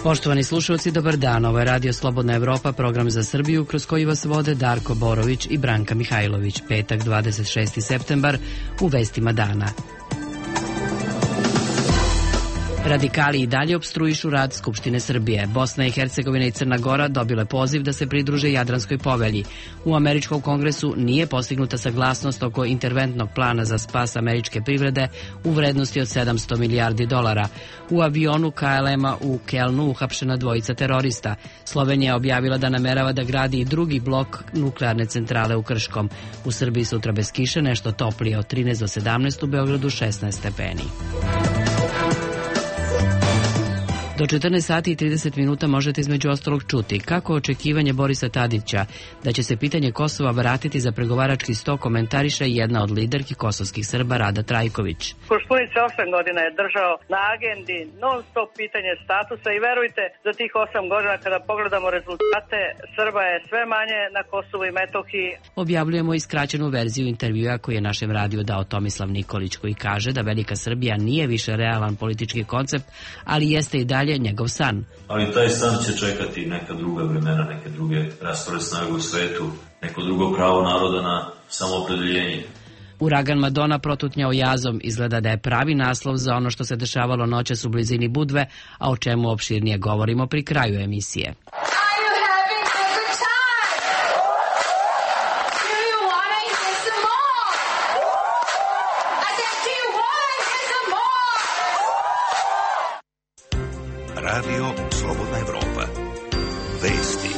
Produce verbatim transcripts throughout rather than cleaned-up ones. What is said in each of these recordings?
Poštovani slušalci, dobar dan. Ovo je Radio Slobodna Evropa, program za Srbiju, kroz koji vas vode Darko Borović i Branka Mihajlović. Petak, dvadeset šesti septembar, u vestima dana. Radikali i dalje opstruišu rad Skupštine Srbije. Bosna i Hercegovina i Crna Gora dobile poziv da se pridruže Jadranskoj povelji. U američkom kongresu nije postignuta saglasnost oko interventnog plana za spas američke privrede u vrednosti od sedamsto milijardi dolara. U avionu K L M-a u Kelnu uhapšena dvojica terorista. Slovenija je objavila da namerava da gradi i drugi blok nuklearne centrale u Krškom. U Srbiji sutra bez kiše, nešto toplije od trinaest do sedamnaest, u Beogradu šesnaest stepeni. Do četrnaest sati i trideset minuta možete između ostalog čuti kako očekivanje Borisa Tadića da će se pitanje Kosova vratiti za pregovarački sto komentariše jedna od liderki kosovskih Srba, Rada Trajković. Koštunice osam godina je držao na agendi non stop pitanje statusa i verujte, za tih osam godina kada pogledamo rezultate, Srba je sve manje na Kosovu i Metohiji. Objavljujemo i skraćenu verziju intervjua koji je našem radiju dao Tomislav Nikolić, koji kaže da Velika Srbija nije više realan politički koncept, ali jeste i dalje njegov san. Ali taj san će čekati neka druga vremena, neke druge raspored snage u svetu, neko drugo pravo naroda na samoopredeljenje. Uragan Madona protutnjao jazom, izgleda da je pravi naslov za ono što se dešavalo noćas u blizini Budve, a o čemu opširnije govorimo pri kraju emisije. Radio Slobodna Evropa. Vesti.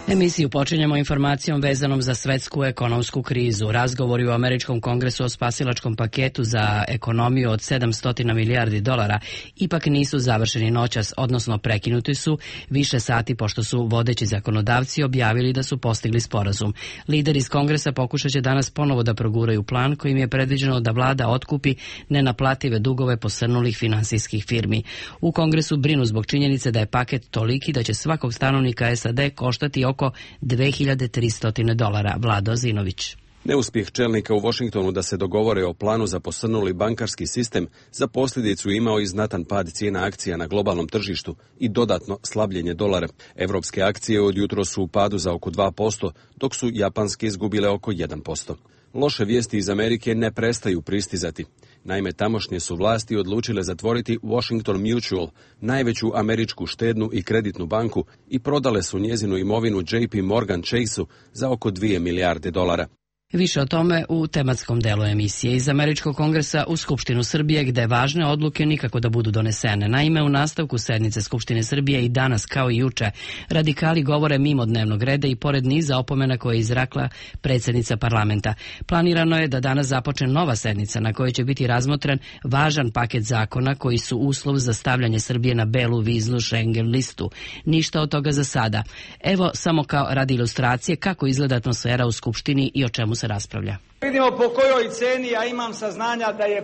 Emisiju počinjemo informacijom vezanom za svetsku ekonomsku krizu. Razgovori u američkom kongresu o spasilačkom paketu za ekonomiju od sedamsto milijardi dolara ipak nisu završeni noćas, odnosno prekinuti su više sati pošto su vodeći zakonodavci objavili da su postigli sporazum. Lideri iz kongresa pokušat će danas ponovo da proguraju plan kojim je predviđeno da vlada otkupi nenaplative dugove posrnulih finansijskih firmi. U kongresu brinu zbog činjenice da je paket toliki da će svakog stanovnika S A D koštati oko dve hiljade tristo dolara. Vlado Zinović. Neuspjeh čelnika u Washingtonu da se dogovore o planu za posrnuli bankarski sistem za posljedicu imao i znatan pad cijena akcija na globalnom tržištu i dodatno slabljenje dolara. Evropske akcije od jutros su u padu za oko dva posto, dok su japanske izgubile oko jedan posto. Loše vijesti iz Amerike ne prestaju pristizati. Naime, tamošnje su vlasti odlučile zatvoriti Washington Mutual, najveću američku štednu i kreditnu banku, i prodale su njezinu imovinu J P Morgan Chase-u za oko dvije milijarde dolara. Više o tome u tematskom delu emisije. Iz Američkog kongresa u Skupštinu Srbije, gde važne odluke nikako da budu donesene. Naime, u nastavku sednice Skupštine Srbije i danas kao i juče, radikali govore mimo dnevnog reda i pored niza opomena koje je izrekla predsjednica parlamenta. Planirano je da danas započne nova sednica na kojoj će biti razmotren važan paket zakona koji su uslov za stavljanje Srbije na belu viznu Schengen listu. Ništa od toga za sada. Evo samo kao radi ilustracije kako izgleda atmosfera u Skupštini i o čemu se raspravlja. Vidimo po kojoj ceni, a imam saznanja da je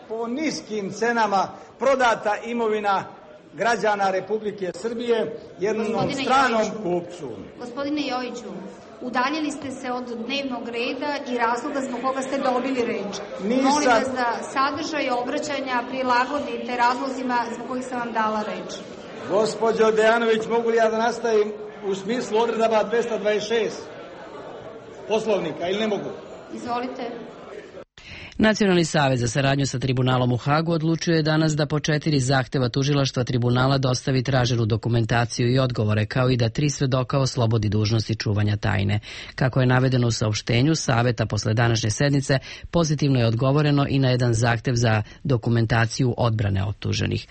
po niskim cenama prodata imovina građana Republike Srbije jednom Gospodine stranom Joviću, kupcu. Gospodine Joviću, udaljili ste se od dnevnog reda i razloga zbog koga ste dobili reč. Nisam... Molim vas da sadržaj obraćanja prilagodite razlozima zbog kojih sam vam dala reč. Gospođo Dejanović, mogu li ja da nastavim u smislu odredaba dvesta dvadeset šest Poslovnika ili ne mogu? Izvolite. Nacionalni savez za saradnju sa tribunalom u Hagu odlučio je danas da po četiri zahteva tužilaštva tribunala dostavi traženu dokumentaciju i odgovore, kao i da tri svedoka oslobodi dužnosti čuvanja tajne. Kako je navedeno u saopštenju Saveta posle današnje sednice, pozitivno je odgovoreno i na jedan zahtev za dokumentaciju odbrane optuženih.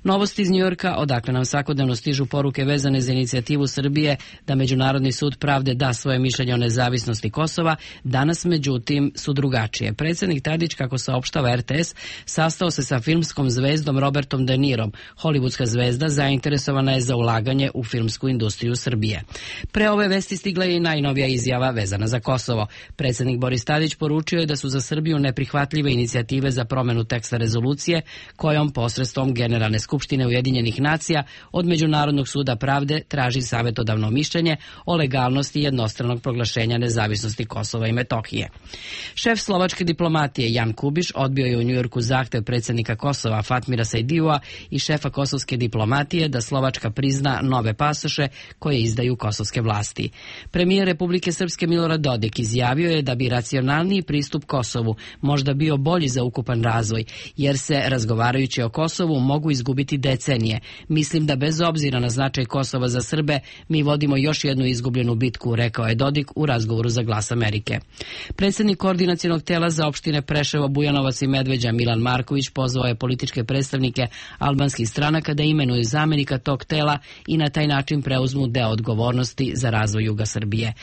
Novosti iz Njujorka, odakle nam svakodnevno stižu poruke vezane za inicijativu Srbije da Međunarodni sud pravde da svoje mišljenje o nezavisnosti Kosova, danas međutim su drugačije. Predsjednik Tadić, kako saopštava R T S, sastao se sa filmskom zvezdom Robertom De Nirom. Hollywoodska zvezda zainteresovana je za ulaganje u filmsku industriju Srbije. Pre ove vesti stigla je i najnovija izjava vezana za Kosovo. Predsjednik Boris Tadić poručio je da su za Srbiju neprihvatljive inicijative za promenu teksta rezolucije kojom posredstvom Generalne skupštine Ujedinjenih nacija od Međunarodnog suda pravde traži savjetodavno mišljenje o legalnosti jednostranog proglašenja nezavisnosti Kosova i Metohije. Šef slovačke diplomatije diplomatije Jan Kubiš odbio je u Njujorku zahtev predsjednika Kosova Fatmira Sajdijua i šefa kosovske diplomatije da Slovačka prizna nove pasoše koje izdaju kosovske vlasti. Premijer Republike Srpske Milorad Dodik izjavio je da bi racionalniji pristup Kosovu možda bio bolji za ukupan razvoj, jer se, razgovarajući o Kosovu, mogu izgubiti decenije. Mislim da bez obzira na značaj Kosova za Srbe, mi vodimo još jednu izgubljenu bitku, rekao je Dodik u razgovoru za Glas Amerike. Predsjednik koordinacionog tela za opštine Preševo, Bujanovac i Medveđa Milan Marković pozvao je političke predstavnike albanskih stranaka da imenuju zamenika tog tela i na taj način preuzmu deo odgovornosti za razvoj juga Srbije.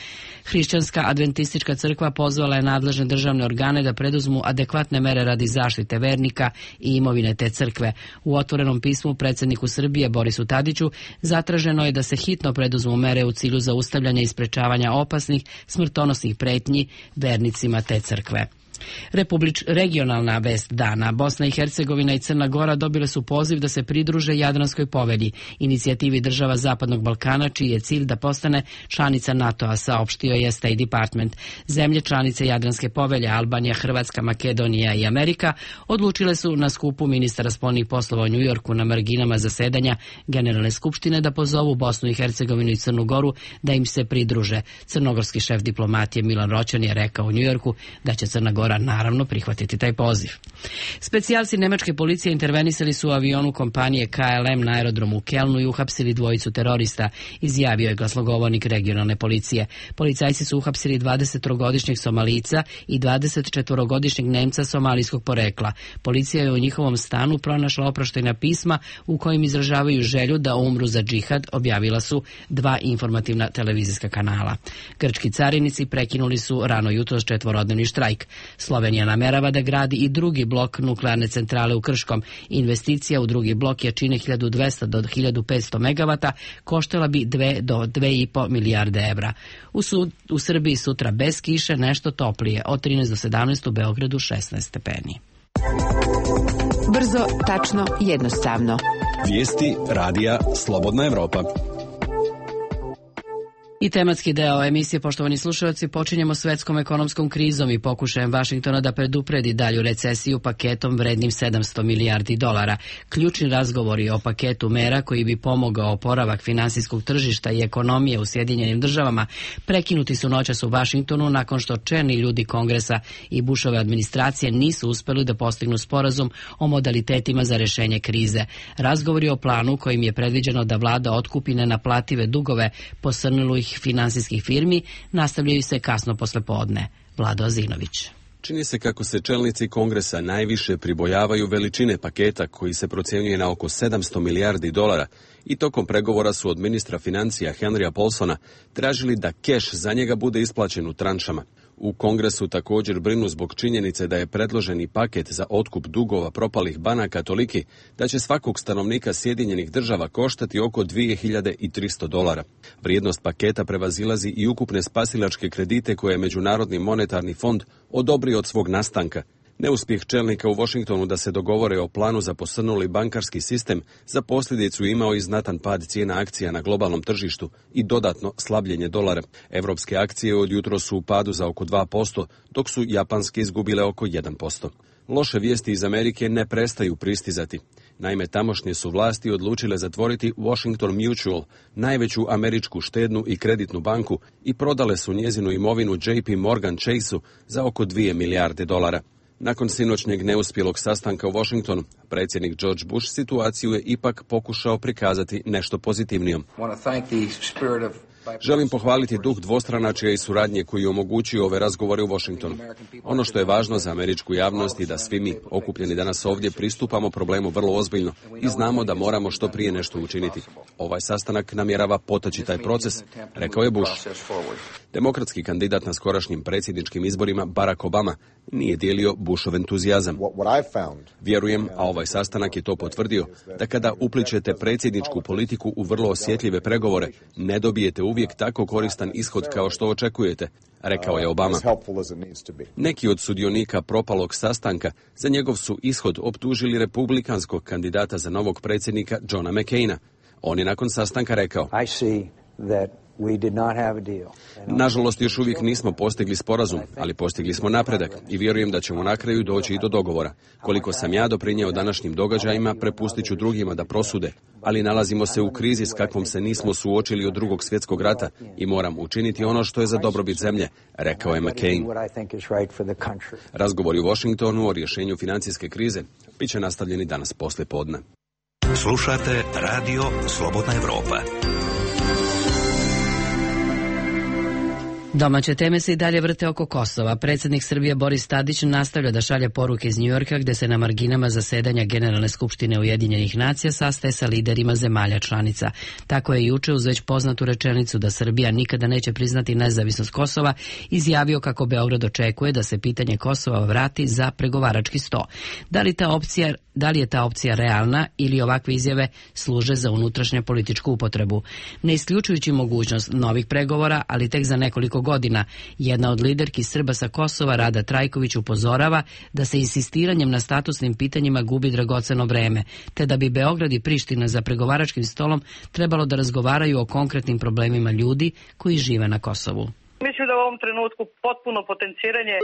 Hrišćanska adventistička crkva pozvala je nadležne državne organe da preduzmu adekvatne mere radi zaštite vernika i imovine te crkve. U otvorenom pismu predsjedniku Srbije Borisu Tadiću zatraženo je da se hitno preduzmu mere u cilju zaustavljanja i sprečavanja opasnih smrtonosnih pretnji vernicima te crkve. Republič, regionalna vest dana. Bosna i Hercegovina i Crna Gora dobile su poziv da se pridruže Jadranskoj povelji, inicijativi država Zapadnog Balkana, čiji je cilj da postane članica NATO-a, saopštio je State Department. Zemlje članice Jadranske povelje, Albanija, Hrvatska, Makedonija i Amerika, odlučile su na skupu ministara spoljnih poslova u Njujorku na marginama zasedanja Generalne skupštine da pozovu Bosnu i Hercegovinu i Crnu Goru da im se pridruže. Crnogorski šef diplomatije Milan Roćan je rekao u Njujorku da će Crna Gora naravno prihvatiti taj poziv. Specijalci nemačke policije intervenisali su u avionu kompanije K L M na aerodromu u Kelnu i uhapsili dvojicu terorista, izjavio je glasnogovornik regionalne policije. Policajci su uhapsili dvadesettrogodišnjeg Somalijca i dvadesetčetvorogodišnjeg Nemca somalijskog porekla. Policija je u njihovom stanu pronašla oproštajna pisma u kojim izražavaju želju da umru za džihad, objavila su dva informativna televizijska kanala. Grčki carinici prekinuli su rano jutros četvorodnevni štrajk. Slovenija namerava da gradi i drugi blok nuklearne centrale u Krškom. Investicija u drugi blok je čine hiljadu dvesta do hiljadu petsto megavata, koštala bi dve do dve i po milijarde evra. U, sud, u Srbiji sutra bez kiše, nešto toplije, od trinaest do sedamnaest, u Beogradu šesnaest stepeni. Brzo, tačno, jednostavno. Vijesti radija Slobodna Evropa. I tematski deo emisije, poštovani slušalci, počinjemo svetskom ekonomskom krizom i pokušajem Vašingtona da predupredi dalju recesiju paketom vrednim sedamsto milijardi dolara. Ključni razgovori o paketu mera koji bi pomogao oporavak finansijskog tržišta i ekonomije u Sjedinjenim državama prekinuti su noćas u Vašingtonu nakon što čelni ljudi Kongresa i Bushove administracije nisu uspeli da postignu sporazum o modalitetima za rešenje krize. Razgovori o planu kojim je predviđeno da vlada otkupi nenaplative dugove posrnulih finansijskih firmi nastavljaju se kasno posle podne. Vlado Azinović. Čini se kako se čelnici Kongresa najviše pribojavaju veličine paketa koji se procjenjuje na oko sedamsto milijardi dolara i tokom pregovora su od ministra financija Henrya Paulsona tražili da keš za njega bude isplaćen u tranšama. U Kongresu također brinu zbog činjenice da je predloženi paket za otkup dugova propalih banaka toliki da će svakog stanovnika Sjedinjenih država koštati oko dvije hiljade tristo dolara. Vrijednost paketa prevazilazi i ukupne spasilačke kredite koje je Međunarodni monetarni fond odobrio od svog nastanka. Neuspjeh čelnika u Washingtonu da se dogovore o planu za posrnuli bankarski sistem za posljedicu imao i znatan pad cijena akcija na globalnom tržištu i dodatno slabljenje dolara. Evropske akcije od jutro su u padu za oko dva posto, dok su japanske izgubile oko jedan posto. Loše vijesti iz Amerike ne prestaju pristizati. Naime, tamošnje su vlasti odlučile zatvoriti Washington Mutual, najveću američku štednu i kreditnu banku, i prodale su njezinu imovinu J P Morgan Chase-u za oko dvije milijarde dolara. Nakon sinoćnjeg neuspjelog sastanka u Washingtonu, predsjednik George Bush situaciju je ipak pokušao prikazati nešto pozitivnijom. Želim pohvaliti duh dvostranačja i suradnje koji omogućuju ove razgovore u Washingtonu. Ono što je važno za američku javnost i da svi mi, okupljeni danas ovdje, pristupamo problemu vrlo ozbiljno i znamo da moramo što prije nešto učiniti. Ovaj sastanak namjerava potaći taj proces, rekao je Bush. Demokratski kandidat na skorašnjim predsjedničkim izborima, Barack Obama, nije dijelio Bushov entuzijazam. Vjerujem, a ovaj sastanak je to potvrdio, da kada upličete predsjedničku politiku u vrlo osjetljive pregovore, ne dobijete uvijek tako koristan ishod kao što očekujete, rekao je Obama. Neki od sudionika propalog sastanka za njegov su ishod optužili republikanskog kandidata za novog predsjednika Johna McCaina. On je nakon sastanka rekao: Nažalost, još uvijek nismo postigli sporazum, ali postigli smo napredak i vjerujem da ćemo na kraju doći i do dogovora. Koliko sam ja doprinjeo današnjim događajima, prepustit ću drugima da prosude, ali nalazimo se u krizi s kakvom se nismo suočili od drugog svjetskog rata i moram učiniti ono što je za dobrobit zemlje, rekao je McCain. Razgovori u Washingtonu o rješenju financijske krize bit će nastavljeni danas poslije podne. Slušate Radio Slobodna Evropa. Domaće teme se i dalje vrte oko Kosova. Predsjednik Srbije Boris Tadić nastavlja da šalje poruke iz Njujorka, gde se na marginama zasedanja Generalne skupštine Ujedinjenih nacija sastaje sa liderima zemalja članica. Tako je juče uz već poznatu rečenicu da Srbija nikada neće priznati nezavisnost Kosova izjavio kako Beograd očekuje da se pitanje Kosova vrati za pregovarački sto. Da li ta opcija Da li je ta opcija realna ili ovakve izjave služe za unutrašnju političku upotrebu? Ne isključujući mogućnost novih pregovora, ali tek za nekoliko godina, jedna od liderki Srba sa Kosova, Rada Trajković, upozorava da se insistiranjem na statusnim pitanjima gubi dragoceno vreme, te da bi Beograd i Priština za pregovaračkim stolom trebalo da razgovaraju o konkretnim problemima ljudi koji žive na Kosovu. Mislim da u ovom trenutku potpuno potenciranje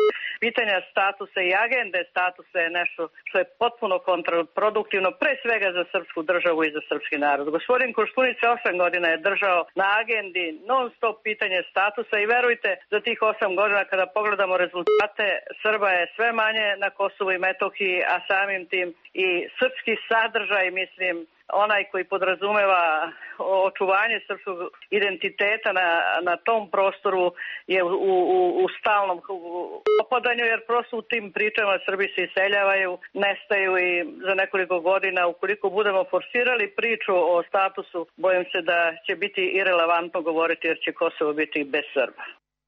pitanja statusa i agende statusa je nešto što je potpuno kontraproduktivno, pre svega za srpsku državu i za srpski narod. Gospodin Koštunica osam godina je držao na agendi non stop pitanje statusa i verujte, za tih osam godina kada pogledamo rezultate, Srba je sve manje na Kosovu i Metohiji, a samim tim i srpski sadržaj, mislim, onaj koji podrazumeva očuvanje srpskog identiteta na, na tom prostoru je u, u, u stalnom opadanju, jer prosto u tim pričama Srbi se iseljavaju, nestaju i za nekoliko godina, ukoliko budemo forsirali priču o statusu, bojim se da će biti irelevantno govoriti jer će Kosovo biti bez Srba.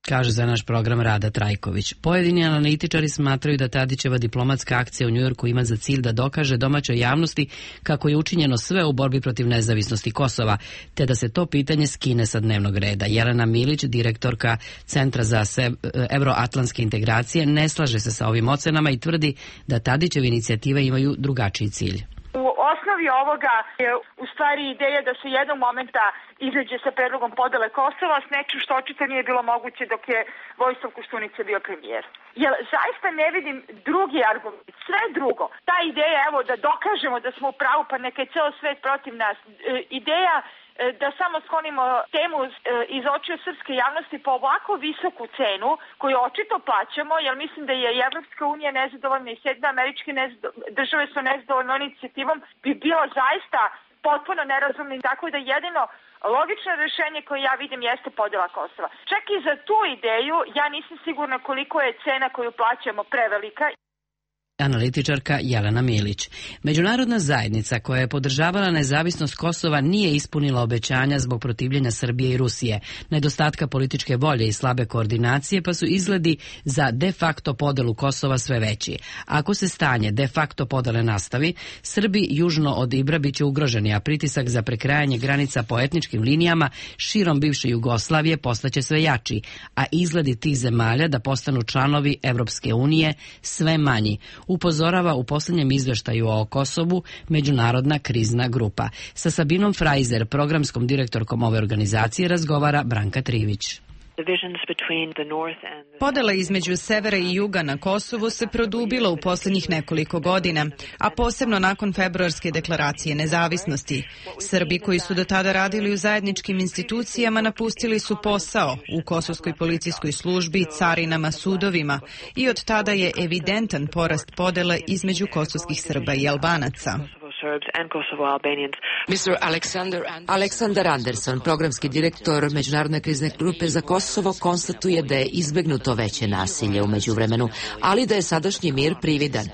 Kaže za naš program Rada Trajković. Pojedini analitičari smatraju da Tadićeva diplomatska akcija u Njujorku ima za cilj da dokaže domaćoj javnosti kako je učinjeno sve u borbi protiv nezavisnosti Kosova, te da se to pitanje skine sa dnevnog reda. Jelena Milić, direktorka Centra za evroatlantske integracije, ne slaže se sa ovim ocenama i tvrdi da Tadićeve inicijative imaju drugačiji cilj. U osnovi ovoga je u stvari ideja da se jednog momenta izađe sa predlogom podele Kosova s nečim što očito nije bilo moguće dok je Vojislav Koštunica bio premijer. Jer zaista ne vidim drugi argument, sve drugo. Ta ideja, evo, da dokažemo da smo u pravu, pa neka je ceo svet protiv nas. E, ideja da samo sklonimo temu iz očiju srpske javnosti po ovako visoku cenu koju očito plaćamo, jer mislim da je i Evropska unija nezadovoljna i Sjedinjene Američke države su nezadovoljne inicijativom, bi bilo zaista potpuno nerazumno, tako da jedino logično rješenje koje ja vidim jeste podjela Kosova. Čak i za tu ideju ja nisam sigurna koliko je cena koju plaćamo prevelika. Analitičarka Jelena Milić. Međunarodna zajednica koja je podržavala nezavisnost Kosova nije ispunila obećanja zbog protivljenja Srbije i Rusije, nedostatka političke volje i slabe koordinacije, pa su izgledi za de facto podelu Kosova sve veći. Ako se stanje de facto podele nastavi, Srbi južno od Ibra biće ugroženi, a pritisak za prekrajanje granica po etničkim linijama širom bivše Jugoslavije postaće sve jači, a izgledi tih zemalja da postanu članovi Evropske unije sve manji, upozorava u posljednjem izveštaju o Kosovu Međunarodna krizna grupa. Sa Sabinom Frajzer, programskom direktorkom ove organizacije, razgovara Branka Trivić. Podela između severa i juga na Kosovu se produbila u posljednjih nekoliko godina, a posebno nakon februarske deklaracije nezavisnosti. Srbi koji su do tada radili u zajedničkim institucijama napustili su posao u kosovskoj policijskoj službi, carinama, sudovima i od tada je evidentan porast podele između kosovskih Srba i Albanaca. Aleksandar Anderson, programski direktor Međunarodne krizne grupe za Kosovo, konstatuje da je izbegnuto veće nasilje u međuvremenu, ali da je sadašnji mir prividan.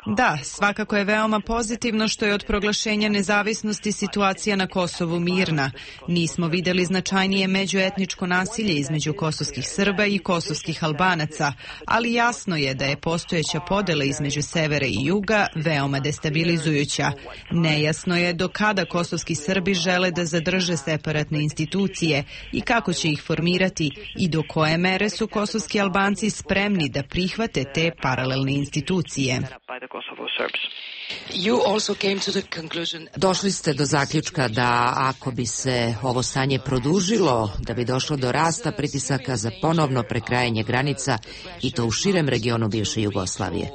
Da, svakako je veoma pozitivno što je od proglašenja nezavisnosti situacija na Kosovu mirna. Nismo vidjeli značajnije međuetničko nasilje između kosovskih Srba i kosovskih Albanaca, ali jasno je da je postojeća podela između severa i juga veoma destabilizujuća. Nejasno je do kada kosovski Srbi žele da zadrže separatne institucije i kako će ih formirati i do koje mere su kosovski Albanci spremni da prihvate te paralelne institucije. Došli ste do zaključka da ako bi se ovo stanje produžilo, da bi došlo do rasta pritisaka za ponovno prekrajanje granica i to u širem regionu bivše Jugoslavije.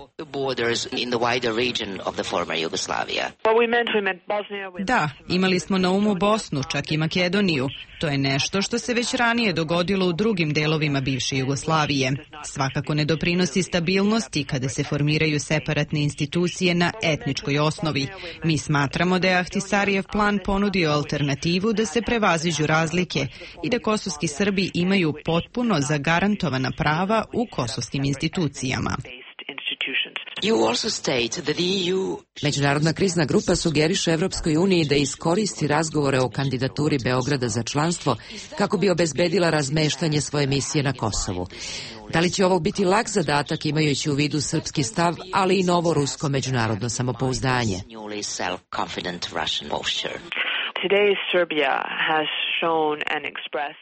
Da, imali smo na umu Bosnu, čak i Makedoniju. To je nešto što se već ranije dogodilo u drugim delovima bivše Jugoslavije. Svakako ne doprinosi stabilnosti kada se formiraju separatne institucije na etničkoj osnovi. Mi smatramo da je Ahtisarijev plan ponudio alternativu da se prevaziđu razlike i da kosovski Srbi imaju potpuno zagarantovana prava u kosovskim institucijama. Međunarodna krizna grupa sugeriše Evropskoj uniji da iskoristi razgovore o kandidaturi Beograda za članstvo kako bi obezbedila razmeštanje svoje misije na Kosovu. Da li će ovo biti lak zadatak imajući u vidu srpski stav, ali i novo rusko međunarodno samopouzdanje?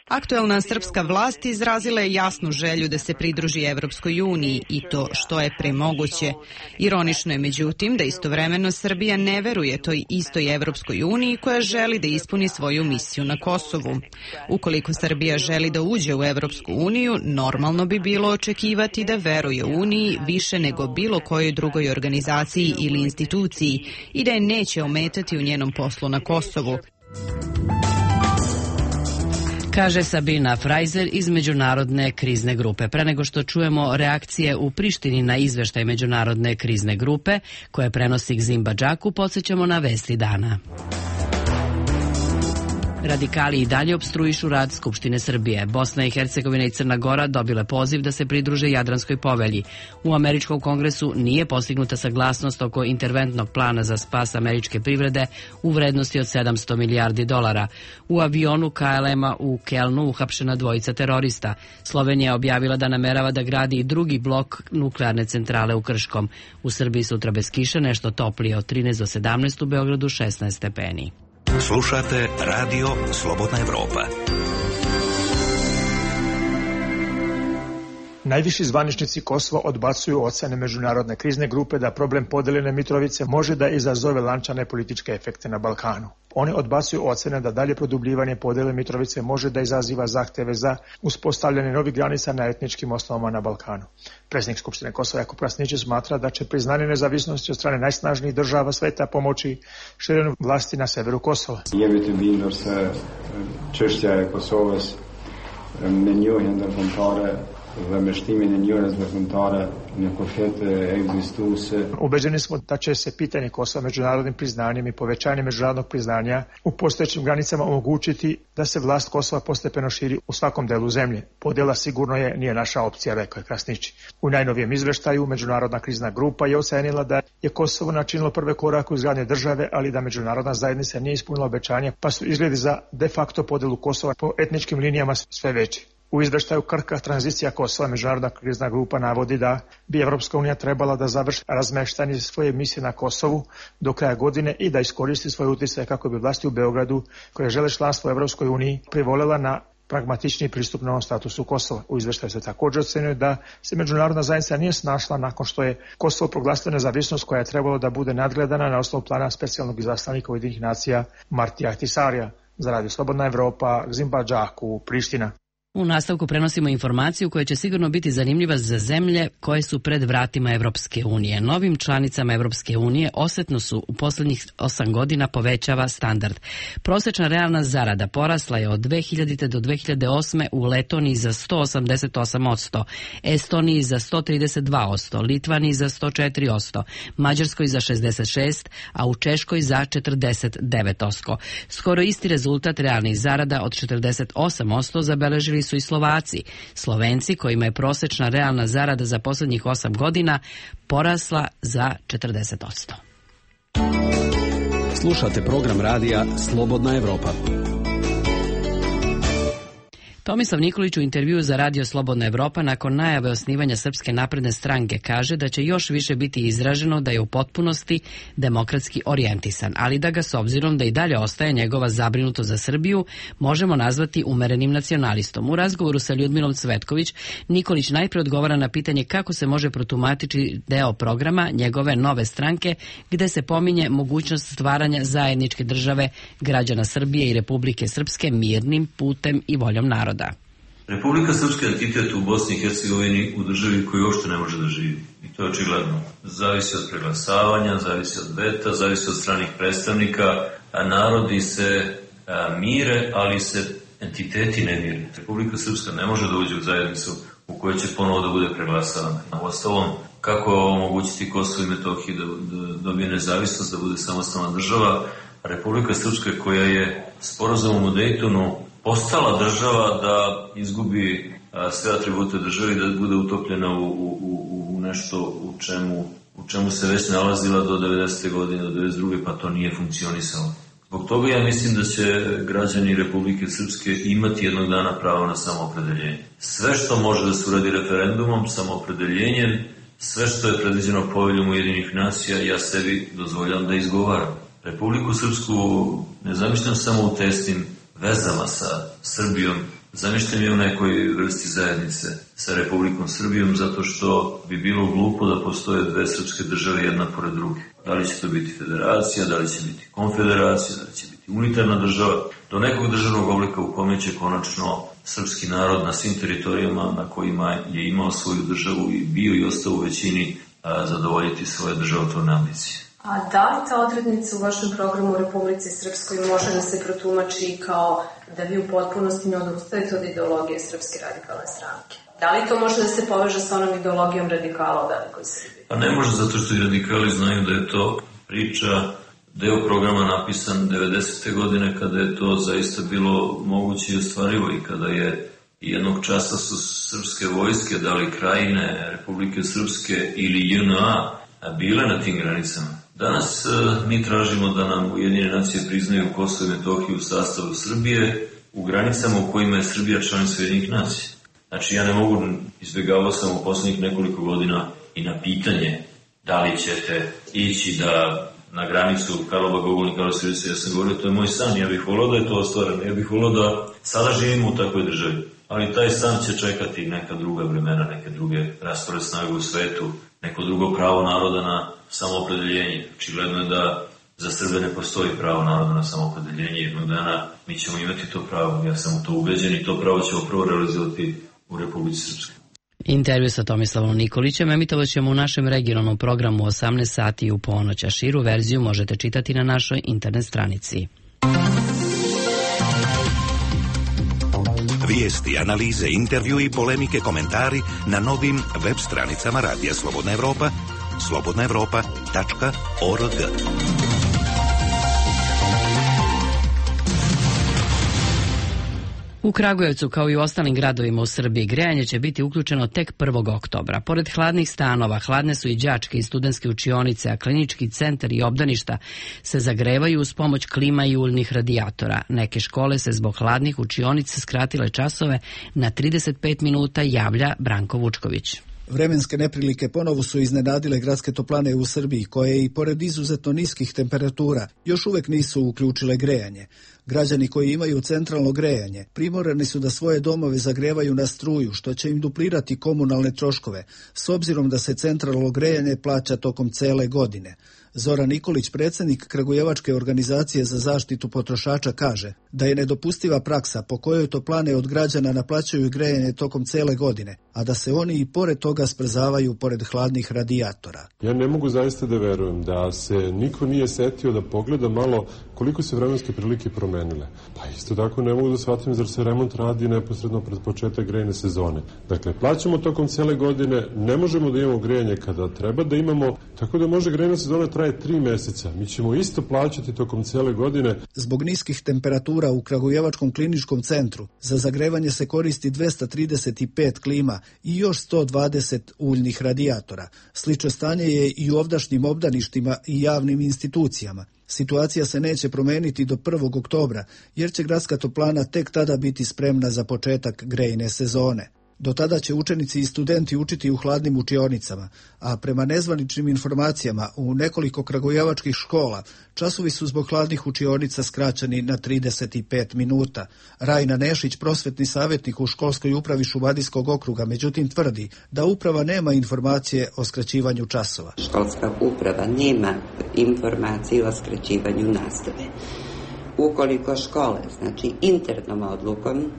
Aktuelna srpska vlast izrazila je jasnu želju da se pridruži Evropskoj uniji i to što je pre moguće. Ironično je međutim da istovremeno Srbija ne veruje toj istoj Evropskoj uniji koja želi da ispuni svoju misiju na Kosovu. Ukoliko Srbija želi da uđe u Evropsku uniju, normalno bi bilo očekivati da veruje uniji više nego bilo kojoj drugoj organizaciji ili instituciji i da je neće ometati u njenom poslu na Kosovu, kaže Sabina Frajzer iz Međunarodne krizne grupe. Pre nego što čujemo reakcije u Prištini na izveštaj Međunarodne krizne grupe, koje prenosi Gzimba Džaku, podsjećamo na vesti dana. Radikali i dalje opstruišu rad Skupštine Srbije. Bosna i Hercegovina i Crna Gora dobile poziv da se pridruže Jadranskoj povelji. U američkom kongresu nije postignuta saglasnost oko interventnog plana za spas američke privrede u vrednosti od sedamsto milijardi dolara. U avionu K L M-a u Kelnu uhapšena dvojica terorista. Slovenija je objavila da namerava da gradi i drugi blok nuklearne centrale u Krškom. U Srbiji sutra bez kiše, nešto toplije od trinaest do sedamnaest, u Beogradu šesnaest stepeni. Slušate Radio Slobodna Evropa. Najviši zvaničnici Kosova odbacuju ocene Međunarodne krizne grupe da problem podeljene Mitrovice može da izazove lančane političke efekte na Balkanu. Oni odbacuju ocene da dalje produbljivanje podele Mitrovice može da izaziva zahteve za uspostavljanje novih granica na etničkim osnovama na Balkanu. Predsjednik Skupštine Kosova Jakub Krasnić smatra da će priznanje nezavisnosti od strane najsnažnijih država sveta pomoći širenju vlasti na severu Kosova. Je bilo se češća Kosova menjujen da kontore Ubeđeni smo da će se pitanje Kosova međunarodnim priznanjem i povećanjem međunarodnog priznanja u postojećim granicama omogućiti da se vlast Kosova postepeno širi u svakom delu zemlje. Podjela sigurno je nije naša opcija, rekao je Krasnić. U najnovijem izveštaju Međunarodna krizna grupa je ocenila da je Kosovo načinilo prve korake u izgradnje države, ali da međunarodna zajednica nije ispunila obećanja, pa su izgledi za de facto podjelu Kosova po etničkim linijama sve veći. U izveštaju Krka tranzicija Kosova Međunarodna krizna grupa navodi da bi Evropska unija trebala da završi razmeštanje svoje misije na Kosovu do kraja godine i da iskoristi svoje utjecaje kako bi vlasti u Beogradu, koje žele članstvo u Evropskoj uniji, privolela na pragmatični pristup novom statusu Kosova. U izveštaju se također ocenjuje da se međunarodna zajednica nije snašla nakon što je Kosovo proglasilo nezavisnost koja je trebalo da bude nadgledana na osnovu plana specijalnog izaslanika Ujedinjenih nacija Martija Ahtisarija. Za Radio Slobodna Evropa, Gzimba Džaku, Priština. U nastavku prenosimo informaciju koja će sigurno biti zanimljiva za zemlje koje su pred vratima Evropske unije. Novim članicama Evropske unije osetno su u posljednjih osam godina povećava standard. Prosječna realna zarada porasla je od dve hiljadite do dve hiljade osme u Letoniji za sto osamdeset osam posto, Estoniji za sto trideset dva posto, Litvaniji za sto četiri posto, Mađarskoj za šezdeset šest posto, a u Češkoj za četrdeset devet posto. Skoro isti rezultat realnih zarada od četrdeset osam posto zabeležili su i Slovaci. Slovenci, kojima je prosječna realna zarada za posljednjih osam godina porasla za četrdeset posto. Slušate program radija Slobodna Evropa. Tomislav Nikolić u intervjuu za Radio Slobodna Evropa nakon najave osnivanja Srpske napredne stranke kaže da će još više biti izraženo da je u potpunosti demokratski orijentisan, ali da ga s obzirom da i dalje ostaje njegova zabrinutost za Srbiju možemo nazvati umerenim nacionalistom. U razgovoru sa Ljudmilom Cvetković, Nikolić najpre odgovara na pitanje kako se može protumačiti deo programa njegove nove stranke gde se pominje mogućnost stvaranja zajedničke države građana Srbije i Republike Srpske mirnim putem i voljom naroda. Republika Srpska entitet u Bosni i Hercegovini u državi koju uopšte ne može da živi. I to je očigledno. Zavisi od preglasavanja, zavisi od veta, zavisi od stranih predstavnika, a narodi se a, mire, ali se entiteti ne mire. Republika Srpska ne može da uđe u zajednicu u kojoj će ponovo da bude preglasavana. Uostalom, kako omogućiti Kosovo i Metohiji da, da dobije nezavisnost, da bude samostalna država, Republika Srpska koja je sporazumom u Dejtonu postala država da izgubi a, sve atribute države i da bude utopljena u, u, u nešto u čemu, u čemu se već nalazila do devedesete godine, do devedeset druge pa to nije funkcionisalo. Zbog toga ja mislim da će građani Republike Srpske imati jednog dana pravo na samoopredeljenje. Sve što može da se uradi referendumom, samoopredeljenjem, sve što je predviđeno poveljom Ujedinjenih nacija, ja sebi dozvoljam da izgovaram. Republiku Srpsku ne zamišljam samo u tesnim vezama sa Srbijom, zamišljam je u nekoj vrsti zajednice sa Republikom Srbijom, zato što bi bilo glupo da postoje dve srpske države jedna pored druge. Da li će to biti federacija, da li će biti konfederacija, da li će biti unitarna država, do nekog državnog oblika u kome će konačno srpski narod na svim teritorijama na kojima je imao svoju državu i bio i ostao u većini a, zadovoljiti svoje državotvorne ambicije. A da li ta odrednica u vašem programu u Republici Srpskoj može da se protumači kao da vi u potpunosti ne odustajete od ideologije Srpske radikalne stranke? Da li to može da se poveže sa onom ideologijom radikala u velikoj Srbiji? Pa ne može, zato što i radikali znaju da je to priča, deo programa napisan devedesete godine kada je to zaista bilo moguće i ostvarivo i kada je jednog časa su srpske vojske, da li Krajine, Republike Srpske ili J N A bile na tim granicama. Danas e, mi tražimo da nam Ujedinjene nacije priznaju Kosovo i Metohiju u sastavu Srbije u granicama u kojima je Srbija članica Ujedinjenih nacija. Znači ja ne mogu, izbjegavao sam u poslednjih nekoliko godina i na pitanje da li ćete ići da na granicu Karlobag Ogulin, Karlovac Ivica, ja sam govorio, to je moj san, ja bih volio da je to ostvareno, ja bih volio da sada živimo u takvoj državi. Ali taj san će čekati neka druga vremena, neke druge raspored snage u svetu, neko drugo pravo naroda na samoopredeljenje. Očigledno je da za Srbe ne postoji pravo naroda na samoopredeljenje. Jednog dana mi ćemo imati to pravo. Ja sam u to ubeđen i to pravo ćemo prvo realizovati u Republici Srpskoj. Intervju sa Tomislavom Nikolićem emitovat ćemo u našem regionalnom programu u osamnaest sati u ponoć, a širu verziju možete čitati na našoj internet stranici. Vijesti, analize, intervju i polemike, komentari na novim web stranicama Radija Slobodna Evropa, slobodna evropa tačka org. U Kragujevcu, kao i u ostalim gradovima u Srbiji, grejanje će biti uključeno tek prvog oktobra. Pored hladnih stanova, hladne su i đačke i studentske učionice, a klinički centar i obdaništa se zagrevaju uz pomoć klima i uljnih radijatora. Neke škole se zbog hladnih učionica skratile časove na trideset pet minuta, javlja Branko Vučković. Vremenske neprilike ponovo su iznenadile gradske toplane u Srbiji, koje i pored izuzetno niskih temperatura još uvek nisu uključile grejanje. Građani koji imaju centralno grejanje primorani su da svoje domove zagrevaju na struju, što će im duplirati komunalne troškove, s obzirom da se centralno grejanje plaća tokom cele godine. Zoran Nikolić, predsjednik Kragujevačke organizacije za zaštitu potrošača, kaže da je nedopustiva praksa po kojoj toplane od građana naplaćuju grejanje tokom cele godine, a da se oni i pored toga sprzavaju pored hladnih radijatora. Ja ne mogu zaista da verujem da se niko nije setio da pogleda malo koliko se vremenske prilike promenile. Pa isto tako ne mogu da shvatim zar se remont radi neposredno pred početak grejne sezone. Dakle, plaćamo tokom cele godine, ne možemo da imamo grejanje kada treba da imamo, tako da može grejna sezona traje tri meseca. Mi ćemo isto plaćati tokom cele godine. Zbog niskih temperatura u Kragujevačkom kliničkom centru za zagrevanje se koristi dvesta trideset pet klima i još sto dvadeset uljnih radijatora. Slično stanje je i u ovdašnjim obdaništima i javnim institucijama. Situacija se neće promeniti do prvog oktobra, jer će gradska toplana tek tada biti spremna za početak grejne sezone. Do tada će učenici i studenti učiti u hladnim učionicama, a prema nezvaničnim informacijama u nekoliko kragujevačkih škola časovi su zbog hladnih učionica skraćeni na trideset pet minuta. Rajna Nešić, prosvetni savjetnik u školskoj upravi Šumadijskog okruga, međutim tvrdi da uprava nema informacije o skraćivanju časova. Školska uprava nema informacije o skraćivanju nastave. Ukoliko škole, znači internom odlukom,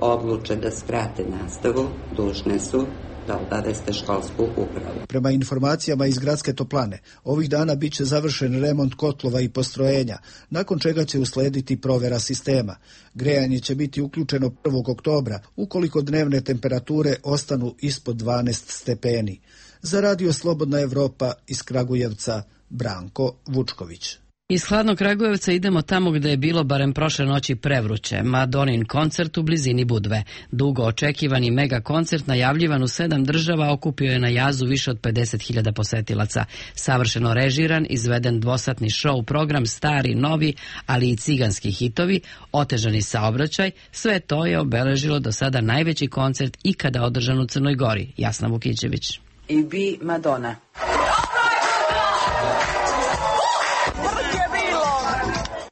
odluče da skrate nastavu, dužne su da obaveste školsku upravu. Prema informacijama iz gradske toplane, ovih dana bit će završen remont kotlova i postrojenja, nakon čega će uslediti provera sistema. Grejanje će biti uključeno prvog oktobra, ukoliko dnevne temperature ostanu ispod dvanaest stepeni. Za Radio Slobodna Evropa iz Kragujevca, Branko Vučković. Iz hladnog Kragujevca idemo tamo gde je bilo barem prošle noći prevruće. Madonin koncert u blizini Budve. Dugo očekivani mega koncert najavljivan u sedam država okupio je na jazu više od pedeset hiljada posetilaca. Savršeno režiran, izveden dvosatni show program, stari, novi, ali i ciganski hitovi, otežani saobraćaj, sve to je obeležilo do sada najveći koncert ikada održan u Crnoj Gori. Jasna Vukićević. I bi Madonna.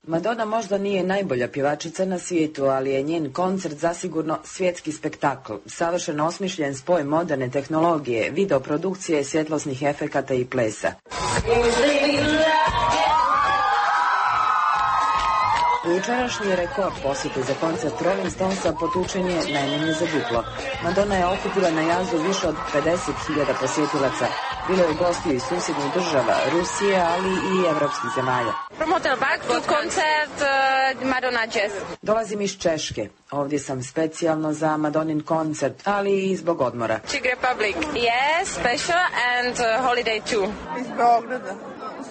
Madonna možda nije najbolja pjevačica na svijetu, ali je njen koncert zasigurno svjetski spektakl. Savršeno osmišljen spoj moderne tehnologije, videoprodukcije, svjetlosnih efekata i plesa. Jučerašnji rekord posjete za koncert Rolling Stonesa potučen je najmanje za duplo. Madonna je okupila na jazu više od pedeset hiljada posjetilaca. Bilo je gostiju iz susjednih država, Rusije, ali i evropskih zemalja. Dolazim iz Češke. Ovdje sam specijalno za Madonin koncert, ali i zbog odmora. Czech Republic. Yes, special and holiday too. Iz Beograda.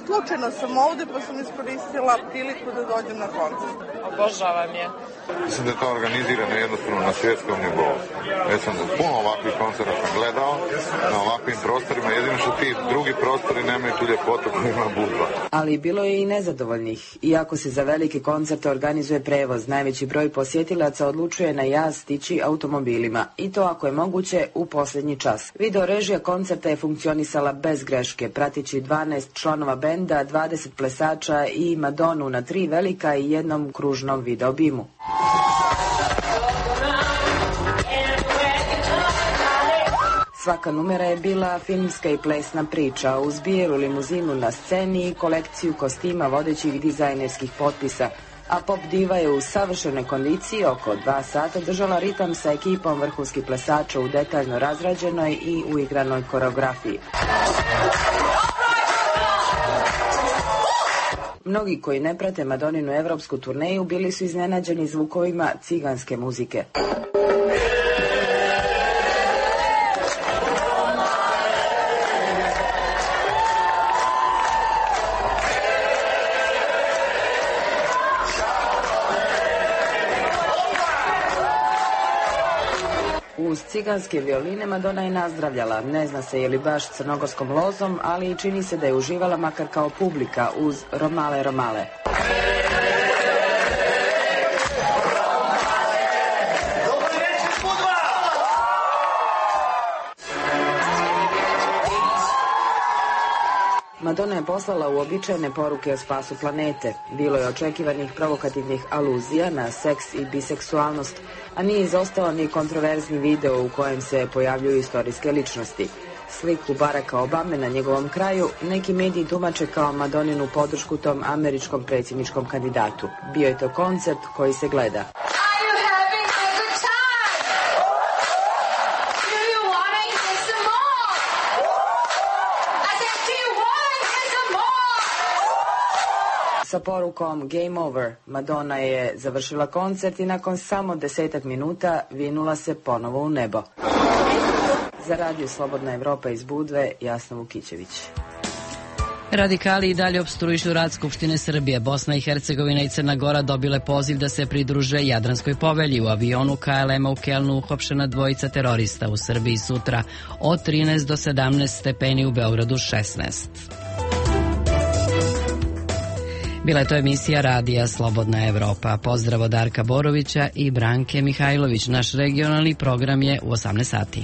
Slučajno sam ovdje pa sam iskoristila priliku da dođem na koncert. Obožavam je. Mislim da je to organizirano jednostavno na svjetskom nivou. Ja sam puno ovakvih koncerta sam gledao na ovakvim prostorima, jedino što ti drugi prostori nemaju tu ljepotu koju ima Budva. Ali bilo je i nezadovoljnih. Iako se za velike koncerte organizuje prevoz, najveći broj posjetilaca odlučuje na jaz stići automobilima. I to ako je moguće u posljednji čas. Video režija koncerta je funkcionisala bez greške, pratići dvanaest članova benda, dvadeset plesača i Madonu na tri velika i jednom kružnom videobimu. Svaka numera je bila filmska i plesna priča, uz bijelu limuzinu na sceni i kolekciju kostima vodećih dizajnerskih potpisa, a pop diva je u savršenoj kondiciji oko dva sata držala ritam sa ekipom vrhunskih plesača u detaljno razrađenoj i uigranoj koreografiji. Mnogi koji ne prate Madoninu evropsku turneju bili su iznenađeni zvukovima ciganske muzike. Uz ciganske violine Madonna je nazdravljala. Ne zna se je li baš crnogorskom lozom, ali i čini se da je uživala makar kao publika uz Romale Romale. Madonna je poslala uobičajene poruke o spasu planete. Bilo je očekivanih provokativnih aluzija na seks i biseksualnost, a nije izostao ni kontroverzni video u kojem se pojavljuju istorijske ličnosti. Sliku Baracka Obame na njegovom kraju neki mediji tumače kao Madoninu podršku tom američkom predsjedničkom kandidatu. Bio je to koncert koji se gleda. Sa porukom Game Over, Madonna je završila koncert i nakon samo desetak minuta vinula se ponovo u nebo. Za Radio Slobodna Evropa iz Budve, Jasna Vukićević. Radikali i dalje opstruišu rad Skupštine Srbije. Bosna i Hercegovina i Crna Gora dobile poziv da se pridruže Jadranskoj povelji. U avionu K L M-a u Kelnu uhapšena dvojica terorista. U Srbiji sutra od trinaest do sedamnaest stepeni, u Beogradu šesnaest. Bila je to emisija Radija Slobodna Evropa. Pozdrav od Darka Borovića i Branke Mihajlović. Naš regionalni program je u osamnaest sati.